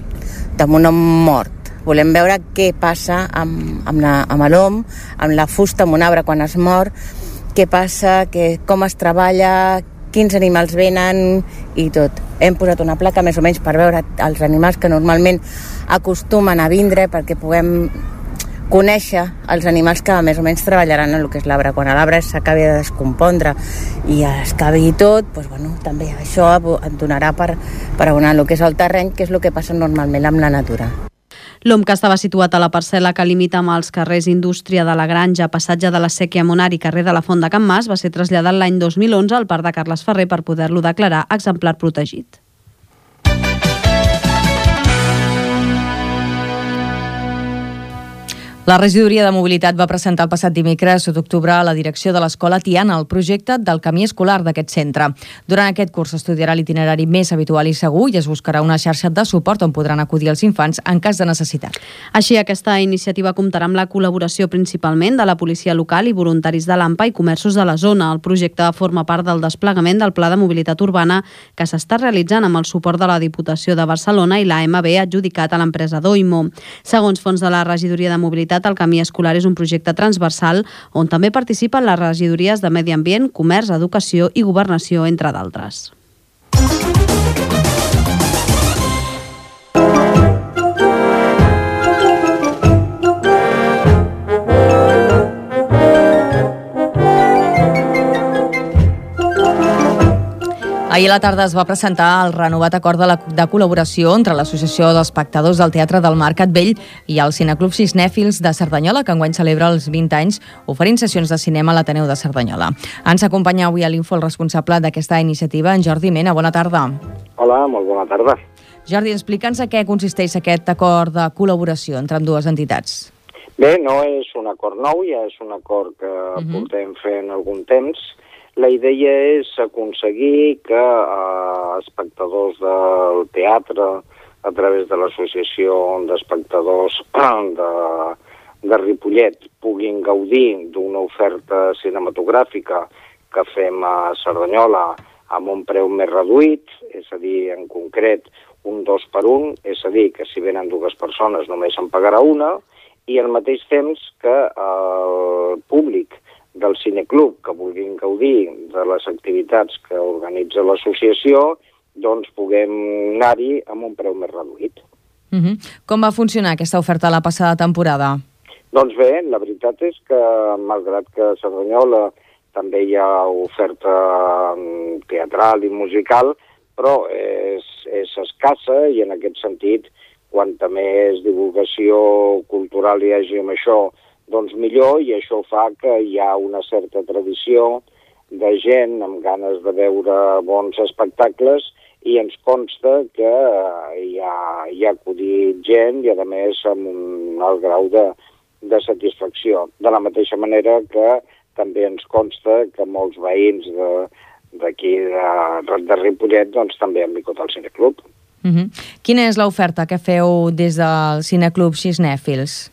amb un om mort. Volem veure què passa amb l'om, amb la fusta, amb un arbre quan es mor, què passa, com es treballa, quins animals venen i tot. Hem posat una placa més o menys per veure els animals que normalment acostumen a vindre perquè puguem conèixer els animals que més o menys treballaran en el que és l'arbre. Quan l'arbre s'acabi de descompondre i es acabi tot, doncs, bueno, també això et donarà per abonar el que és el terreny, que és el que passa normalment amb la natura. L'om que estava situat a la parcel·la que limita amb els carrers Indústria de la Granja, Passatge de la Sèquia Monar i carrer de la Font de Can Mas va ser traslladat l'any 2011 al Parc de Carles Ferrer per poder-lo declarar exemplar protegit. La regidoria de mobilitat va presentar el passat dimecres 1 d'octubre a la direcció de l'Escola Tiana el projecte del camí escolar d'aquest centre. Durant aquest curs s'estudiarà l'itinerari més habitual i segur i es buscarà una xarxa de suport on podran acudir els infants en cas de necessitat. Així, aquesta iniciativa comptarà amb la col·laboració principalment de la policia local i voluntaris de l'AMPA i comerços de la zona. El projecte forma part del desplegament del Pla de Mobilitat Urbana que s'està realitzant amb el suport de la Diputació de Barcelona i l'AMB adjudicat a l'empresa Doimo. Segons fons de la regidoria de mobilitat, el camí escolar és un projecte transversal on també participen les regidories de Medi Ambient, Comerç, Educació i Governació, entre d'altres. Ahir a la tarda es va presentar el renovat acord de col·laboració entre l'Associació d'Espectadors del Teatre del Mercat Vell i el Cineclub Cinèfils de Cerdanyola, que enguany celebra els 20 anys oferint sessions de cinema a l'Ateneu de Cerdanyola. Ens acompanya avui a l'Info el responsable d'aquesta iniciativa, en Jordi Mena. Bona tarda. Hola, molt bona tarda. Jordi, explica'ns a què consisteix aquest acord de col·laboració entre ambdues entitats. Bé, no és un acord nou, ja és un acord que portem fent algun temps. La idea és aconseguir que espectadors del teatre, a través de l'Associació d'Espectadors de Ripollet, puguin gaudir d'una oferta cinematogràfica que fem a Cerdanyola amb un preu més reduït, és a dir, en concret, un 2 per 1, és a dir, que si venen dues persones només en pagarà una, i al mateix temps que el públic del cineclub que vulguin gaudir de les activitats que organitza l'associació, doncs puguem anar-hi amb un preu més reduït. Com va funcionar aquesta oferta la passada temporada? Doncs bé, la veritat és que, malgrat que a Cerdanyola també hi ha oferta teatral i musical, però és escassa i en aquest sentit, quanta més divulgació cultural hi hagi amb això, doncs millor, i això fa que hi ha una certa tradició de gent amb ganes de veure bons espectacles i ens consta que hi ha acudit gent i, a més, amb un alt grau de satisfacció. De la mateixa manera que també ens consta que molts veïns d'aquí de Ripollet doncs, també han vingut al Cineclub. Quina és l'oferta que feu des del Cineclub Cinèfils?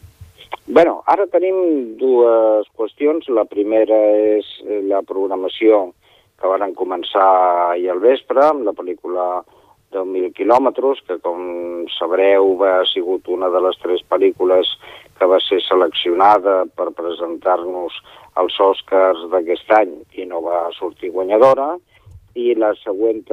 Bé, ara tenim dues qüestions. La primera és la programació que van començar ahir al vespre amb la pel·lícula 10.000 quilòmetres, que com sabreu ha sigut una de les 3 pel·lícules que va ser seleccionada per presentar-nos als Oscars d'aquest any i no va sortir guanyadora. I les següents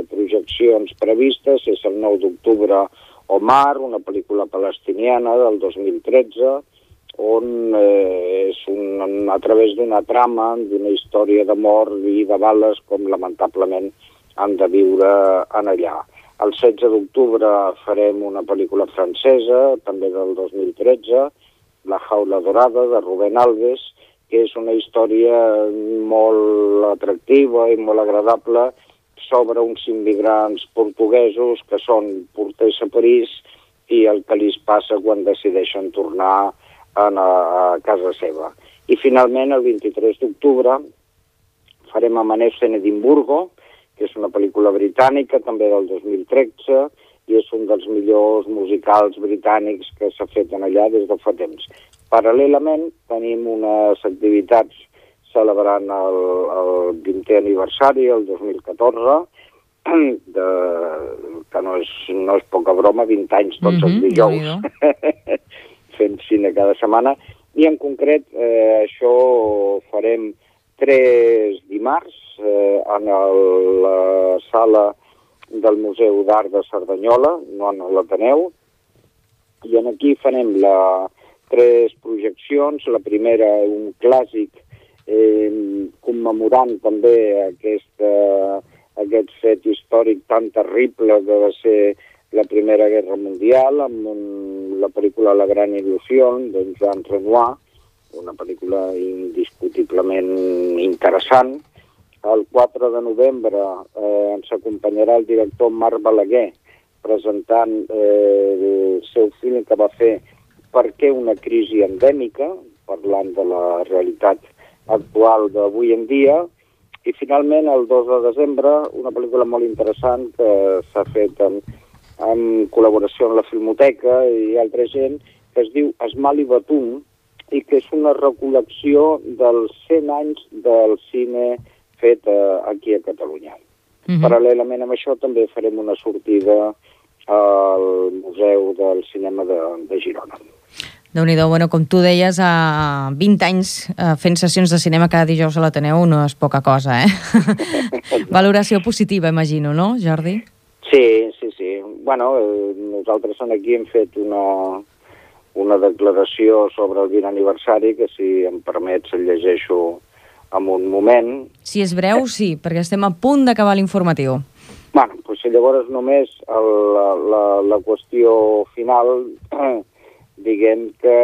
projeccions previstes és el 9 d'octubre Omar, una pel·lícula palestiniana del 2013, on a través d'una trama, d'una història d'amor i de bales, com lamentablement han de viure en allà. El 16 d'octubre farem una pel·lícula francesa, també del 2013, La jaula dorada, de Rubén Alves, que és una història molt atractiva i molt agradable sobre uns immigrants portuguesos que són porters a París i el que li passa quan decideixen tornar a casa seva. I finalment, el 23 d'octubre, farem Amanece en Edimburgo, que és una pel·lícula britànica, també del 2013, i és un dels millors musicals britànics que s'ha fet allà des de fa temps. Paral·lelament, tenim unes activitats celebrant el 20è aniversari, el 2014, que no és poca broma, 20 anys tots els dijous, fent cine cada setmana, i en concret això farem 3 dimarts en la sala del Museu d'Art de Cerdanyola, no en l'Ateneu, i aquí farem 3 projeccions. La primera, un clàssic commemorant també aquest fet històric tan terrible que va ser la Primera Guerra Mundial, amb la pel·lícula La Gran Il·lusió, de Jean Renoir, una pel·lícula indiscutiblement interessant. El 4 de novembre ens acompanyarà el director Marc Balaguer presentant el seu film que va fer Per què una crisi endèmica, parlant de la realitat actual d'avui en dia. I finalment, el 2 de desembre, una pel·lícula molt interessant que s'ha fet en col·laboració amb la Filmoteca i altra gent, que es diu Esmal i Batum, i que és una recol·lecció dels 100 anys del cine fet aquí a Catalunya. Paral·lelament amb això també farem una sortida al Museu del Cinema de Girona. Déu-n'hi-do, bueno, com tu deies, 20 anys fent sessions de cinema cada dijous a l'Ateneu no és poca cosa, Valoració positiva, imagino, no, Jordi? Sí. Bueno, nosaltres aquí hem fet una declaració sobre el 20 aniversari que, si em permets, el llegeixo en un moment. Si és breu, sí, perquè estem a punt d'acabar l'informatiu. Bueno, doncs llavors només la qüestió final, diguem que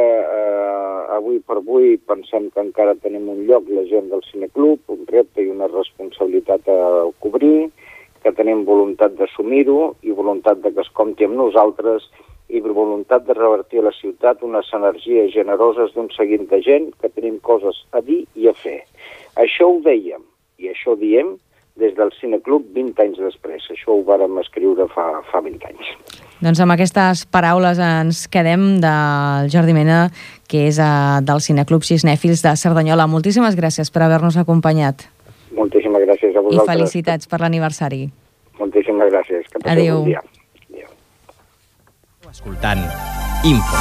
avui per avui pensem que encara tenim un lloc, la gent del Cineclub, un repte i una responsabilitat a cobrir, que tenim voluntat d'assumir-ho i voluntat de que es compti amb nosaltres i voluntat de revertir a la ciutat unes energies generoses d'un seguit de gent que tenim coses a dir i a fer. Això ho dèiem i això diem des del Cineclub 20 anys després. Això ho vàrem escriure fa 20 anys. Doncs amb aquestes paraules ens quedem del Jordi Mena, que és del Cineclub Cinèfils de Cerdanyola. Moltíssimes gràcies per haver-nos acompanyat. Moltíssimes gràcies a vosaltres. I felicitats per l'aniversari. Moltíssimes gràcies. Que passeu un dia. Adéu. Escoltant Info.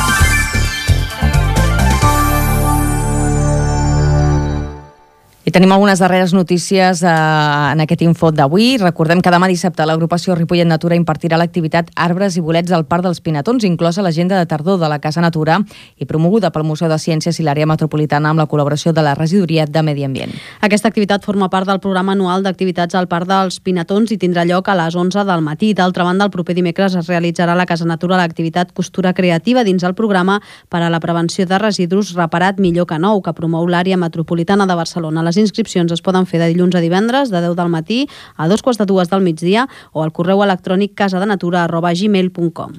I tenim algunes darreres notícies en aquest info d'avui. Recordem que demà dissabte l'agrupació Ripollet Natura impartirà l'activitat Arbres i bolets al Parc dels Pinatons, inclosa l'agenda de tardor de la Casa Natura i promoguda pel Museu de Ciències i l'àrea metropolitana amb la col·laboració de la Regidoria de Medi Ambient. Aquesta activitat forma part del programa anual d'activitats al Parc dels Pinatons i tindrà lloc a les 11 del matí. D'altra banda, el proper dimecres es realitzarà a la Casa Natura l'activitat Costura Creativa dins el programa per a la prevenció de residus Reparat millor que nou, que promou l'àrea metropolitana de Barcelona. Les inscripcions es poden fer de dilluns a divendres, de 10 del matí a 2:45 del migdia o al correu electrònic casadenatura@gmail.com.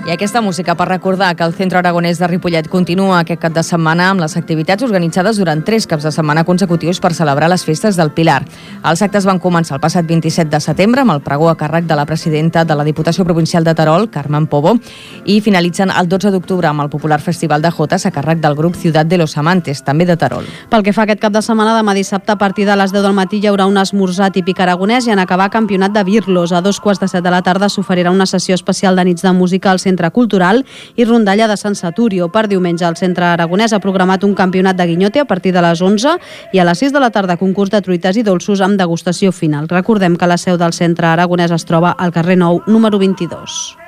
I aquesta música per recordar que el Centre Aragonès de Ripollet continua aquest cap de setmana amb les activitats organitzades durant 3 caps de setmana consecutius per celebrar les festes del Pilar. Els actes van començar el passat 27 de setembre amb el pregó a càrrec de la presidenta de la Diputació Provincial de Terol, Carmen Pobo, i finalitzen el 12 d'octubre amb el popular Festival de Jotes a càrrec del grup Ciutat de los Amantes, també de Terol. Pel que fa a aquest cap de setmana, demà dissabte a partir de les 10 del matí hi haurà un esmorzar típic aragonès i en acabar campionat de birlos. A 2:15 de la tarda s'oferirà una sessió especial de nits de música al Centre Cultural i rondalla de Sant Saturio. Per diumenge el Centre Aragonès ha programat un campionat de guinyote a partir de les 11 i a les 6 de la tarda concurs de truites i dolços amb degustació final. Recordem que la seu del Centre Aragonès es troba al carrer Nou, número 22.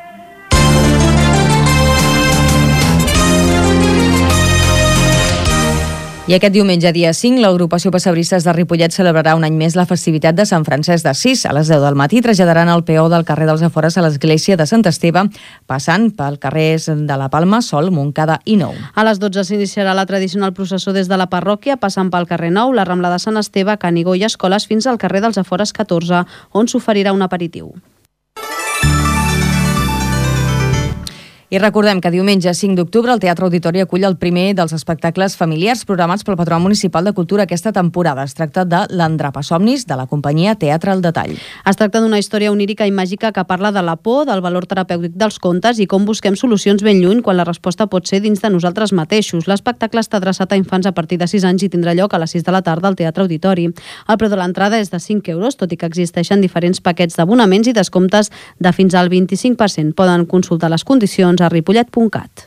I aquest diumenge, dia 5, l'agrupació Pessebristes de Ripollet celebrarà un any més la festivitat de Sant Francesc d'Assís. A les 10 del matí traslladaran el peó del carrer dels Afores a l'església de Sant Esteve, passant pel carrers de la Palma, Sol, Montcada i Nou. A les 12 s'iniciarà la tradicional processó des de la parròquia, passant pel carrer Nou, la Rambla de Sant Esteve, Canigó i Escoles, fins al carrer dels Afores 14, on s'oferirà un aperitiu. I recordem que diumenge 5 d'octubre el Teatre Auditori acull el primer dels espectacles familiars programats pel Patronat Municipal de Cultura aquesta temporada. Es tracta de l'Andrapasomnis, de la companyia Teatre al Detall. Es tracta d'una història onírica i màgica que parla de la por, del valor terapèutic dels contes i com busquem solucions ben lluny quan la resposta pot ser dins de nosaltres mateixos. L'espectacle està adreçat a infants a partir de 6 anys i tindrà lloc a les 6 de la tarda al Teatre Auditori. El preu de l'entrada és de 5 euros, tot i que existeixen diferents paquets d'abonaments i descomptes de fins al 25%. Poden consultar les condicions a ripollet.cat.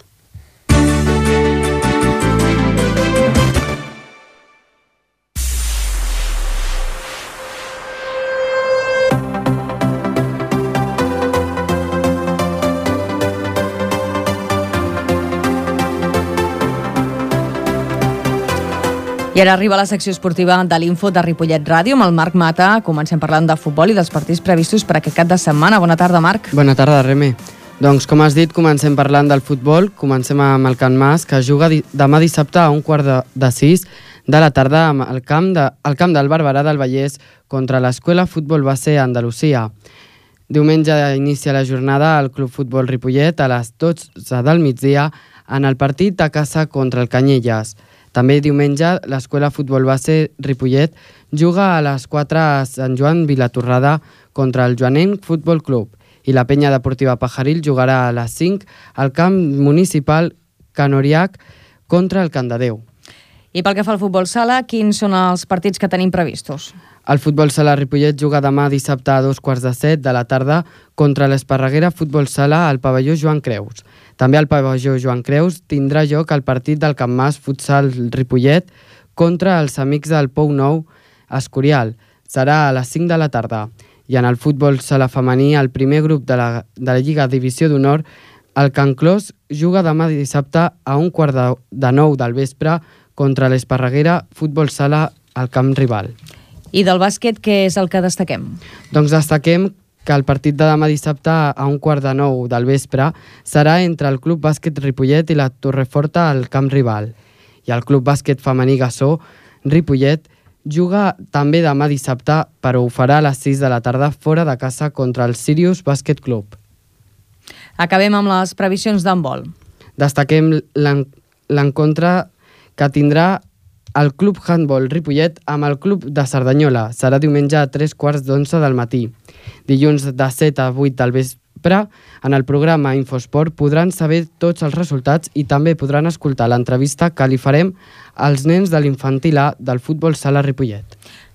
I ara arriba la secció esportiva de l'Info de Ripollet Ràdio amb el Marc Mata. Comencem parlant de futbol i dels partits previstos per aquest cap de setmana. Bona tarda, Marc. Bona tarda, Reme. Doncs, com has dit, comencem parlant del futbol. Comencem amb el Can Mas, que juga demà dissabte a 5:15 de la tarda al camp del Barberà del Vallès contra l'Escola Futbol Base Andalusia. Diumenge inicia la jornada al Club Futbol Ripollet a les 12 del migdia en el partit a casa contra el Canyelles. També diumenge l'Escola Futbol Base Ripollet juga a les 4 a Sant Joan Vilatorrada contra el Joanenc Futbol Club i la Penya Deportiva Pajaril jugarà a les 5 al camp municipal Canoriac contra el Candadeu. I pel que fa al futbol sala, quins són els partits que tenim previstos? El futbol sala Ripollet juga demà dissabte a 2:15 de la tarda contra l'Esparreguera Futbol Sala al pavelló Joan Creus. També al pavelló Joan Creus tindrà lloc el partit del Can Mas Futsal Ripollet contra els amics del Pou Nou Escorial. Serà a les 5 de la tarda. I en el futbol sala femení, el primer grup de la Lliga Divisió d'Honor, el Can Clos juga demà dissabte a 8:45 del vespre contra l'Esparreguera Futbol Sala al camp rival. I del bàsquet, què és el que destaquem? Doncs destaquem que el partit de demà dissabte a 8:45 del vespre serà entre el Club Bàsquet Ripollet i la Torreforta al camp rival. I el Club Bàsquet Femení Gassó Ripollet juga també demà dissabte, però ho farà a les 6 de la tarda fora de casa contra el Sirius Bàsquet Club. Acabem amb les previsions d'handbol. Destaquem l'encontre que tindrà el Club Handbol Ripollet amb el Club de Cerdanyola. Serà diumenge a 3:15 del matí. Dilluns de 7 a 8 del vespre, en el programa Infosport podran saber tots els resultats i també podran escoltar l'entrevista que li farem als nens de l'infantil A del futbol sala Ripollet.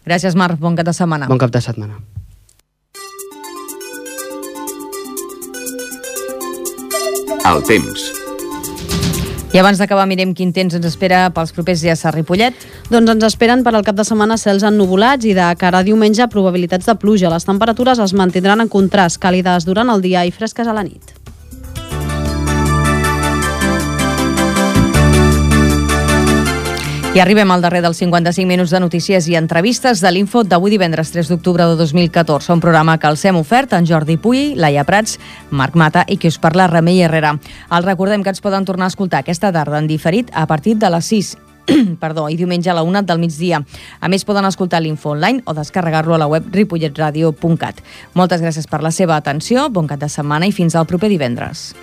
Gràcies, Marc. Bon cap de setmana. Bon cap de setmana. El temps. I abans d'acabar mirem quin temps ens espera pels propers dies a Ripollet. Doncs ens esperen per al cap de setmana cels ennuvolats i de cara a diumenge probabilitats de pluja. Les temperatures es mantindran en contrast, càlides durant el dia i fresques a la nit. I arribem al darrer dels 55 minuts de notícies i entrevistes de l'Info d'avui divendres 3 d'octubre de 2014. Un programa que els hem ofert en Jordi Puy, Laia Prats, Marc Mata i qui us parla, Remei Herrera. Els recordem que ens poden tornar a escoltar aquesta tarda en diferit a partir de les 6 i diumenge a la 1 del migdia. A més, poden escoltar l'Info online o descarregar-lo a la web ripolletradio.cat. Moltes gràcies per la seva atenció, bon cap de setmana i fins al proper divendres.